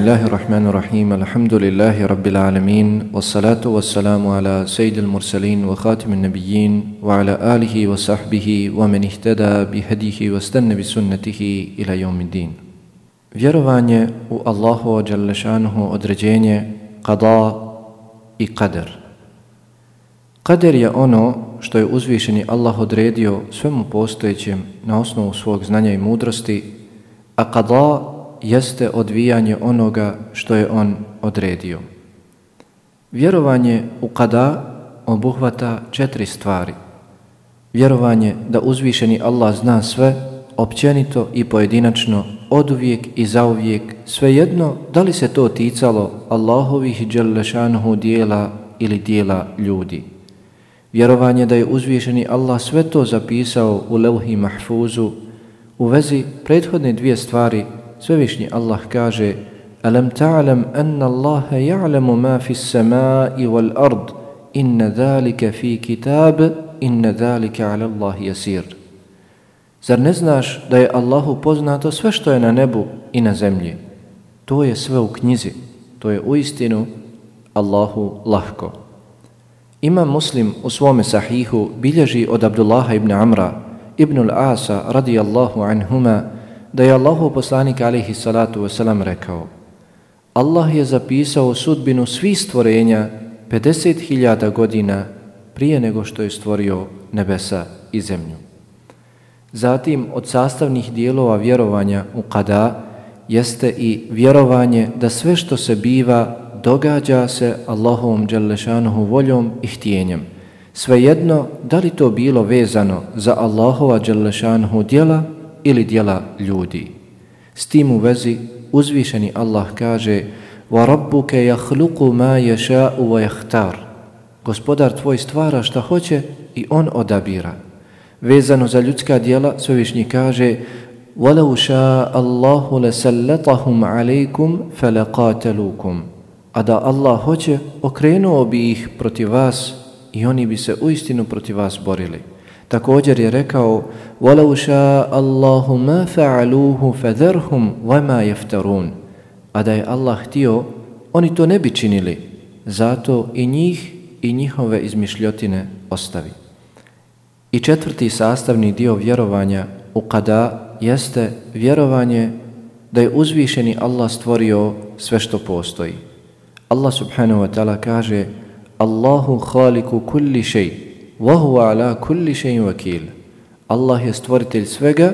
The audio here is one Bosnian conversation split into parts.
Bismillahirrahmanirrahim. Alhamdulillahi rabbil alamin. Wassalatu wassalamu ala sayyidil mursalin wa khatimin nabiyyin wa ala alihi wa sahbihi wa man ihtada bihadihi wa stanna bi sunnatihi ila yawmiddin. Vjerovanje u Allahovo dželle šanuhu određenje, qada i qadar. Qadar je ono što je uzvišeni Allah odredio svemu postojećem na osnovu svog znanja i mudrosti, a qada jeste odvijanje onoga što je on odredio. Vjerovanje u qada obuhvata 4 stvari. Vjerovanje da uzvišeni Allah zna sve, općenito i pojedinačno, oduvijek i zauvijek, svejedno da li se to ticalo Allahovih dželle šanuhu dijela ili dijela ljudi. Vjerovanje da je uzvišeni Allah sve to zapisao u levhi mahfuzu. U vezi prethodne 2 stvari Svevišnji Allah kaže: Alam ta'lam anna Allaha ya'lamu ma fi s-samai wal ard inna zalika fi kitab inna zalika 'ala Allahi yasir. Zar ne znaš da je Allahu poznato sve što je na nebu i na zemlji? To je sve u knjizi, to je uistinu Allahu lahko. Imam Muslim u svome sahihu bilježi od Abdullaha ibn Amra ibn al-Asa radijallahu anhuma da je Allahov poslanik alejhi salatu vesselam rekao: Allah je zapisao sudbinu svih stvorenja 50.000 godina prije nego što je stvorio nebesa i zemlju. Zatim od sastavnih dijelova vjerovanja u qada jeste i vjerovanje da sve što se biva događa se Allahovom dželle šanuhu voljom i htjenjem. Svejedno da li to bilo vezano za Allahova dželle šanuhu djela ili djela ljudi. S tim u vezi uzvišeni Allah kaže: وَرَبُّكَ يَخْلُقُ مَا يَشَاءُ وَيَخْتَارُ. Gospodar tvoj stvara šta hoće i on odabira. Vezano za ljudska djela svevišnji kaže: وَلَوْ شَاءَ اللَّهُ لَسَلَّطَهُمْ عَلَيْكُمْ فَلَقَاتَلُوكُمْ. A da Allah hoće, okrenuo bi ih protiv vas i oni bi se uistinu protiv vas borili. Također je rekao: وَلَوْ شَاءَ اللَّهُ مَا فَعَلُوهُ فَذَرْهُمْ وَمَا يَفْتَرُونَ. A da je Allah htio, oni to ne bi činili, zato i njih i njihove izmišljotine ostavi. I 4. sastavni dio vjerovanja u qada jeste vjerovanje da je uzvišeni Allah stvorio sve što postoji. Allah subhanahu wa ta'ala kaže: Allahu khaliku kulli shay wa huwa ala kulli shay'in wakil. Allah je stvoritelj svega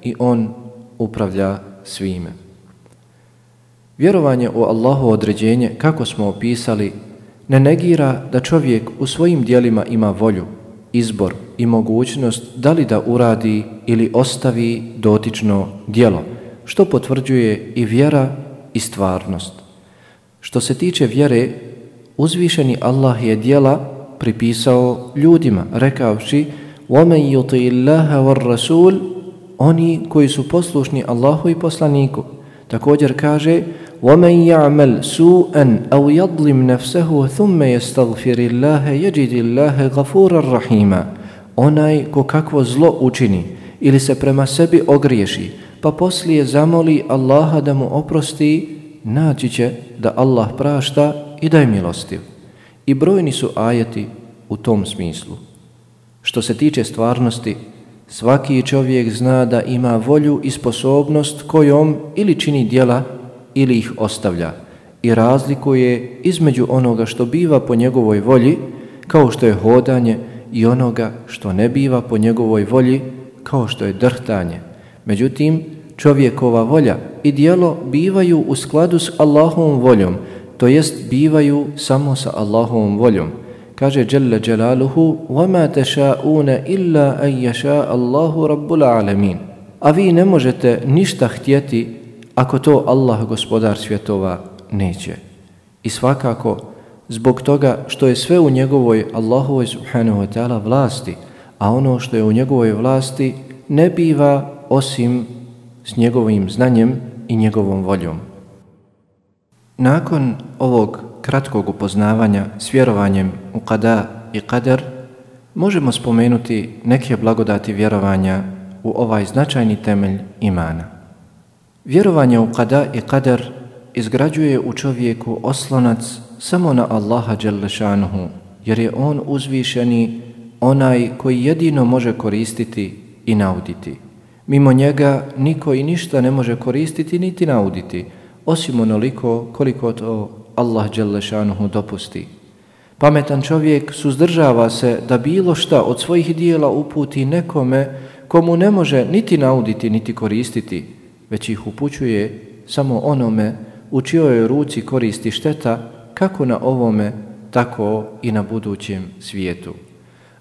i on upravlja svime. Vjerovanje u Allahovo određenje, kako smo opisali, ne negira da čovjek u svojim djelima ima volju, izbor i mogućnost da li da uradi ili ostavi dotično djelo, što potvrđuje i vjera i stvarnost. Što se tiče vjere, uzvišeni Allah je djela pripisao ljudima, rekavši: وَمَنْ يُطِعِ اللَّهَ وَالرَّسُولِ. Oni koji su poslušni Allahu i poslaniku. Također kaže: وَمَنْ يَعْمَلْ سُوءًا أَوْ يَظْلِمْ نَفْسَهُ ثُمَّ يَسْتَغْفِرِ اللَّهَ يَجِدِ اللَّهَ غَفُورًا رَحِيمًا. Onaj ko kakvo zlo učini ili se prema sebi ogriješi, pa poslije zamoli Allaha da mu oprosti, naći će da Allah prašta i da je milostiv. I brojni su ajeti u tom smislu. Što se tiče stvarnosti, svaki čovjek zna da ima volju i sposobnost kojom ili čini djela ili ih ostavlja i razlikuje između onoga što biva po njegovoj volji, kao što je hodanje, i onoga što ne biva po njegovoj volji, kao što je drhtanje. Međutim, čovjekova volja i djelo bivaju u skladu s Allahovom voljom, to jest bivaju samo sa Allahovom voljom. Kaže Jalla Jalaluhu: وَمَا تَشَاءُونَ إِلَّا أَنْ يَشَاءَ اللَّهُ رَبُّ الْعَالَمِينَ. A vi ne možete ništa htjeti ako to Allah, gospodar svjetova, neće. I svakako zbog toga što je sve u njegovoj Allahovoj subhanahu wa ta'ala vlasti, a ono što je u njegovoj vlasti ne biva osim s njegovim znanjem i njegovom voljom. Nakon ovog kratkog upoznavanja s vjerovanjem u qada i qadar, možemo spomenuti neke blagodati vjerovanja u ovaj značajni temelj imana. Vjerovanje u qada i qadar izgrađuje u čovjeku oslonac samo na Allaha dželle šanuhu, jer je on uzvišeni, onaj koji jedino može koristiti i nauditi. Mimo njega niko i ništa ne može koristiti niti nauditi, osim onoliko koliko to Allah dželle šanuhu dopusti. Pametan čovjek suzdržava se da bilo šta od svojih dijela uputi nekome komu ne može niti nauditi niti koristiti, već ih upućuje samo onome u čijoj ruci koristi šteta, kako na ovome, tako i na budućem svijetu.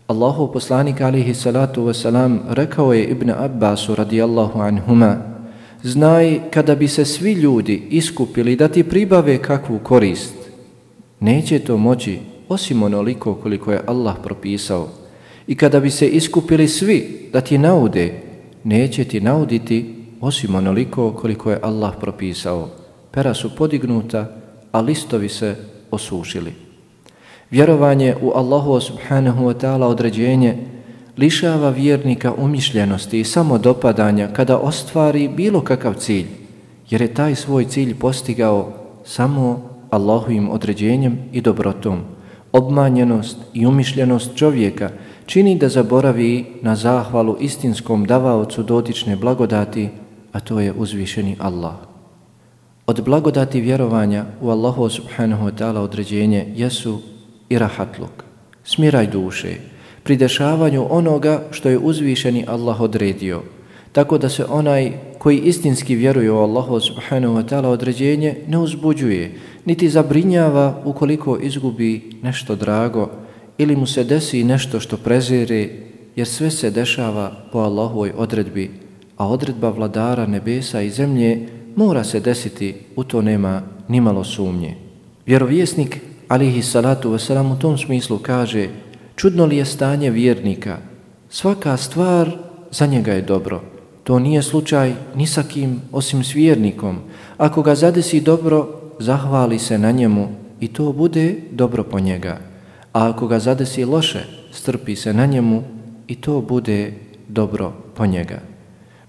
Allahov poslanik alejhi salatu vesselam rekao je Ibn Abbasu radijallahu anhuma: znaj, kada bi se svi ljudi iskupili da ti pribave kakvu korist, neće to moći osim onoliko koliko je Allah propisao. I kada bi se iskupili svi da ti naude, neće ti nauditi osim onoliko koliko je Allah propisao. Pera su podignuta, a listovi se osušili. Vjerovanje u Allahu subhanahu wa ta'ala određenje lišava vjernika umišljenosti i samodopadanja kada ostvari bilo kakav cilj, jer je taj svoj cilj postigao samo Allahovim određenjem i dobrotom. Obmanjenost i umišljenost čovjeka čini da zaboravi na zahvalu istinskom davaocu dotične blagodati, a to je uzvišeni Allah. Od blagodati vjerovanja u Allahu subhanahu wa ta'ala određenje jesu i rahatluk, smiraj duše, pri dešavanju onoga što je uzvišeni Allah odredio, tako da se onaj koji istinski vjeruje u Allahu subhanahu wa ta'ala određenje ne uzbuđuje, niti zabrinjava ukoliko izgubi nešto drago ili mu se desi nešto što prezire, jer sve se dešava po Allahovoj odredbi, a odredba vladara nebesa i zemlje mora se desiti, u to nema nimalo sumnje. Vjerovjesnik alejhi salatu vesselam u tom smislu kaže: čudno li je stanje vjernika? Svaka stvar za njega je dobro. To nije slučaj ni sa kim osim s vjernikom. Ako ga zadesi dobro, zahvali se na njemu i to bude dobro po njega. A ako ga zadesi loše, strpi se na njemu i to bude dobro po njega.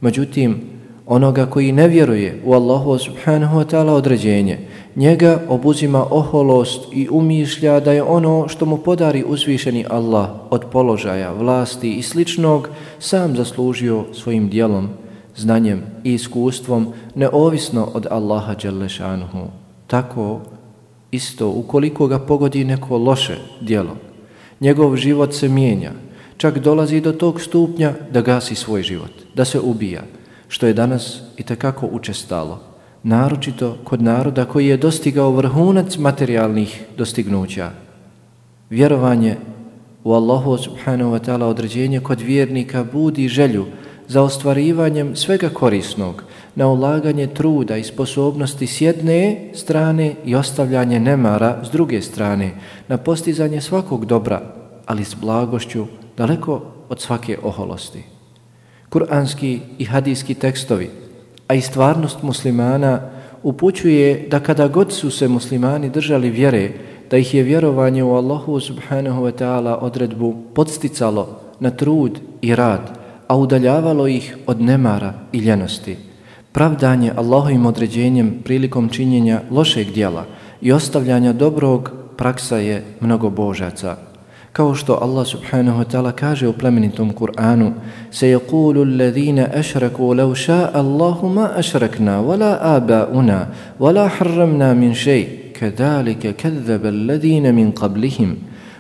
Međutim, onoga koji ne vjeruje u Allahu subhanahu wa ta'ala određenje, njega obuzima oholost i umišlja da je ono što mu podari uzvišeni Allah od položaja, vlasti i sličnog sam zaslužio svojim djelom, znanjem i iskustvom, neovisno od Allaha dželle šanuhu. Tako isto ukoliko ga pogodi neko loše djelo, njegov život se mijenja, čak dolazi do tog stupnja da gasi svoj život, da se ubija, što je danas itekako učestalo, naročito kod naroda koji je dostigao vrhunac materijalnih dostignuća. Vjerovanje u Allahu subhanahu wa ta'ala određenje kod vjernika budi želju za ostvarivanjem svega korisnog, na ulaganje truda i sposobnosti s jedne strane i ostavljanje nemara s druge strane, na postizanje svakog dobra, ali s blagošću, daleko od svake oholosti. Kur'anski i hadijski tekstovi, a i stvarnost muslimana upućuje da kada god su se muslimani držali vjere, da ih je vjerovanje u Allahu subhanahu wa ta'ala odredbu podsticalo na trud i rad, a udaljavalo ih od nemara i ljenosti. Pravdanje Allahovim određenjem prilikom činjenja lošeg djela i ostavljanja dobrog praksa je mnogobožaca. Kao što Allah subhanahu wa ta'ala kaže u plemenitom Kur'anu: سَيَقُولُ الَّذِينَ أَشْرَكُوا لَوْ شَاءَ اللَّهُ مَا أَشْرَكْنَا وَلَا آبَاؤُنَا وَلَا حَرَّمْنَا مِنْ شَيْءٍ كَذَلِكَ كَذَّبَ الَّذِينَ مِنْ قَبْلِهِمْ.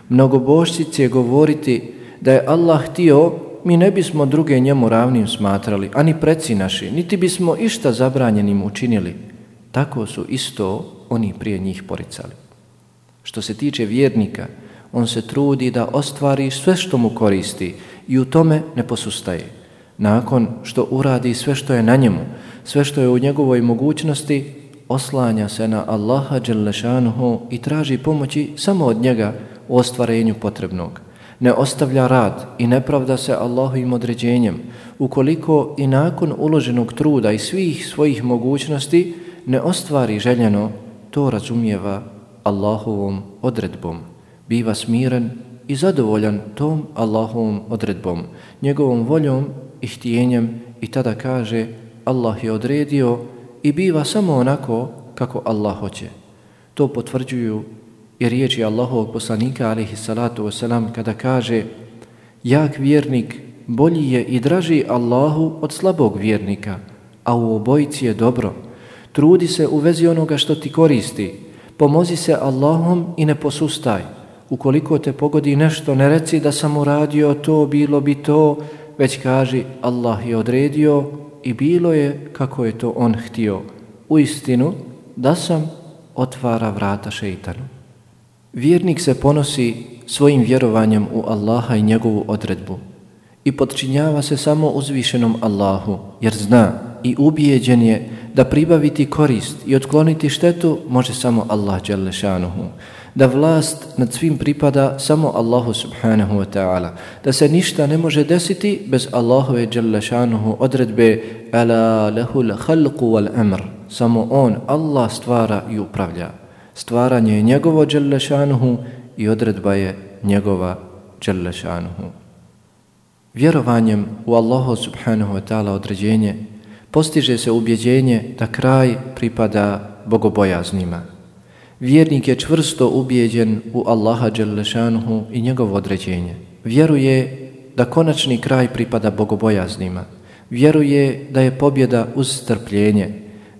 Mnogobožci će govoriti da je Allah htio, mi ne bismo druge njemu ravnim smatrali, ani preci naši, niti bismo išta zabranjenim učinili. Tako su isto oni prije njih poricali. Što se tiče vjernika, on se trudi da ostvari sve što mu koristi i u tome ne posustaje. Nakon što uradi sve što je na njemu, sve što je u njegovoj mogućnosti, oslanja se na Allaha dželle šanuhu i traži pomoći samo od njega u ostvarenju potrebnog. Ne ostavlja rad i ne pravda se Allahovim određenjem, ukoliko i nakon uloženog truda i svih svojih mogućnosti ne ostvari željeno, to razumijeva Allahovom odredbom. Biva smiren i zadovoljan tom Allahovom odredbom, njegovom voljom i htjenjem, i tada kaže: Allah je odredio, i biva samo onako kako Allah hoće. To potvrđuju i riječi Allahovog poslanika alejhi salatu vesselam kada kaže: jak vjernik bolji je i draži Allahu od slabog vjernika, a u obojici je dobro. Trudi se u vezi onoga što ti koristi, pomozi se Allahom i ne posustaj. Ukoliko te pogodi nešto, ne reci da sam uradio to, bilo bi to, već kaži Allah je odredio i bilo je kako je to on htio. Uistinu da sam otvara vrata šeitanu. Vjernik se ponosi svojim vjerovanjem u Allaha i njegovu odredbu i podčinjava se samo uzvišenom Allahu, jer zna i ubijeđen je da pribaviti korist i otkloniti štetu može samo Allah dželle šanuhu, da vlast nad svim pripada samo Allahu subhanahu wa ta'ala, da se ništa ne može desiti bez Allahove dželle šanuhu odredbe ala lahul khalqu wal amr, samo on, Allah, stvara i upravlja. Stvaranje je njegovo dželle šanuhu i odredba je njegova dželle šanuhu. Vjerovanjem u Allahu subhanahu wa ta'ala određenje postiže se ubjeđenje da kraj pripada bogobojaznima. Vjernik je čvrsto ubijeđen u Allaha dželle šanuhu i njegovo određenje. Vjeruje da konačni kraj pripada bogobojaznima. Vjeruje da je pobjeda uz strpljenje,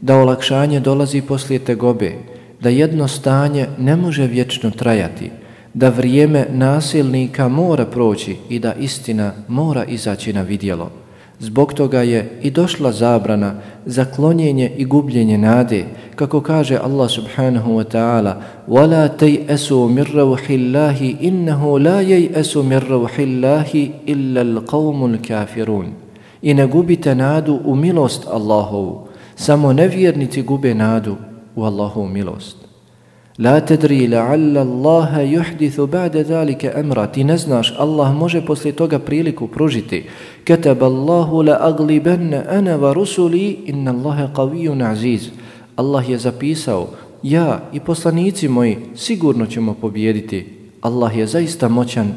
da olakšanje dolazi poslije tegobe, da jedno stanje ne može vječno trajati, da vrijeme nasilnika mora proći i da istina mora izaći na vidjelo. Zbog toga je i došla zabrana za klonjenje i gubljenje nade, kako kaže Allah subhanahu wa ta'ala: وَلَا تَيْأَسُوا مِنْ رَوْحِ اللَّهِ إِنَّهُ لَا يَيْأَسُ مِنْ رَوْحِ اللَّهِ إِلَّا الْقَوْمُ الْكَافِرُونَ. I ne gubite nadu u milost Allahovu, samo nevjernici gube nadu u Allahovu milost. La tadri la'alla Allaha yuhdithu ba'da zalika amra. Ti ne znaš, Allah može poslije toga priliku pružiti. Kataba Allahu la aglibanna ana wa rusuli inna Allaha qawiyyun aziz. Allah je zapisao, ja i poslanici moji sigurno ćemo pobijediti. Allah je zaista moćan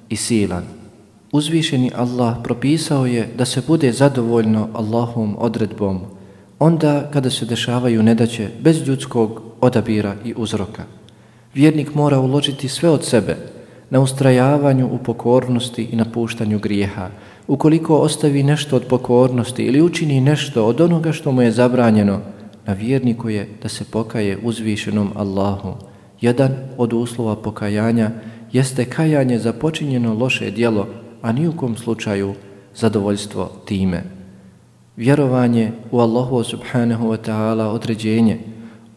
i silan. Uzvišeni Allah propisao je da se bude zadovoljno Allahovom odredbom onda kada se dešavaju nedaće bez ljudskog odabira i uzroka. Vjernik mora uložiti sve od sebe na ustrajavanju u pokornosti i napuštanju grijeha. Ukoliko ostavi nešto od pokornosti ili učini nešto od onoga što mu je zabranjeno, na vjerniku je da se pokaje uzvišenom Allahu. Jedan od uslova pokajanja jeste kajanje za počinjeno loše djelo, a ni u kom slučaju zadovoljstvo time. Vjerovanje u Allahu subhanahu wa ta'ala određenje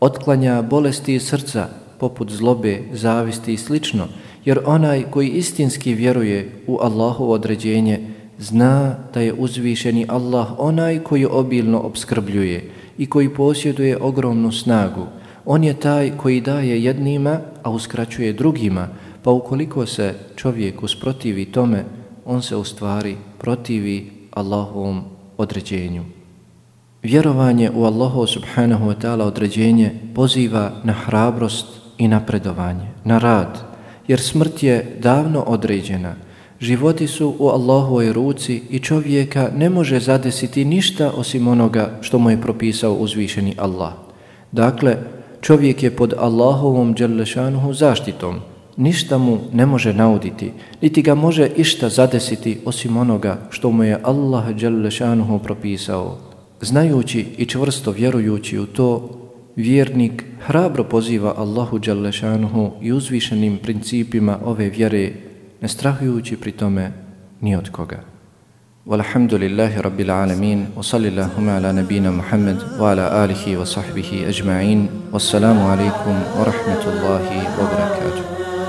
otklanja bolesti srca poput zlobe, zavisti i slično, jer onaj koji istinski vjeruje u Allahu određenje zna da je uzvišeni Allah onaj koji obilno opskrbljuje i koji posjeduje ogromnu snagu. On je taj koji daje jednima, a uskraćuje drugima, pa ukoliko se čovjek usprotivi tome, on se u stvari protivi Allahovom određenju. Vjerovanje u Allahu subhanahu wa ta'ala određenje poziva na hrabrost i napredovanje, na rad, jer smrt je davno određena. Životi su u Allahovoj ruci i čovjeka ne može zadesiti ništa osim onoga što mu je propisao uzvišeni Allah. Dakle, čovjek je pod Allahovom dželle šanuhu zaštitom. Ništa mu ne može nauditi, niti ga može išta zadesiti osim onoga što mu je Allah dželle šanuhu propisao. Znajući i čvrsto vjerujući u to, vjernik hrabro poziva Allahu dželle šanuhu i uzvišenim principima ove vjere, ne strahujući pri tome ni od koga. Walhamdulillahi rabbil alamin, wa sallillahuma ala nabina Muhammad wa ala alihi wa sahbihi ajma'in, wassalamu alaikum wa rahmatullahi wa barakatuh.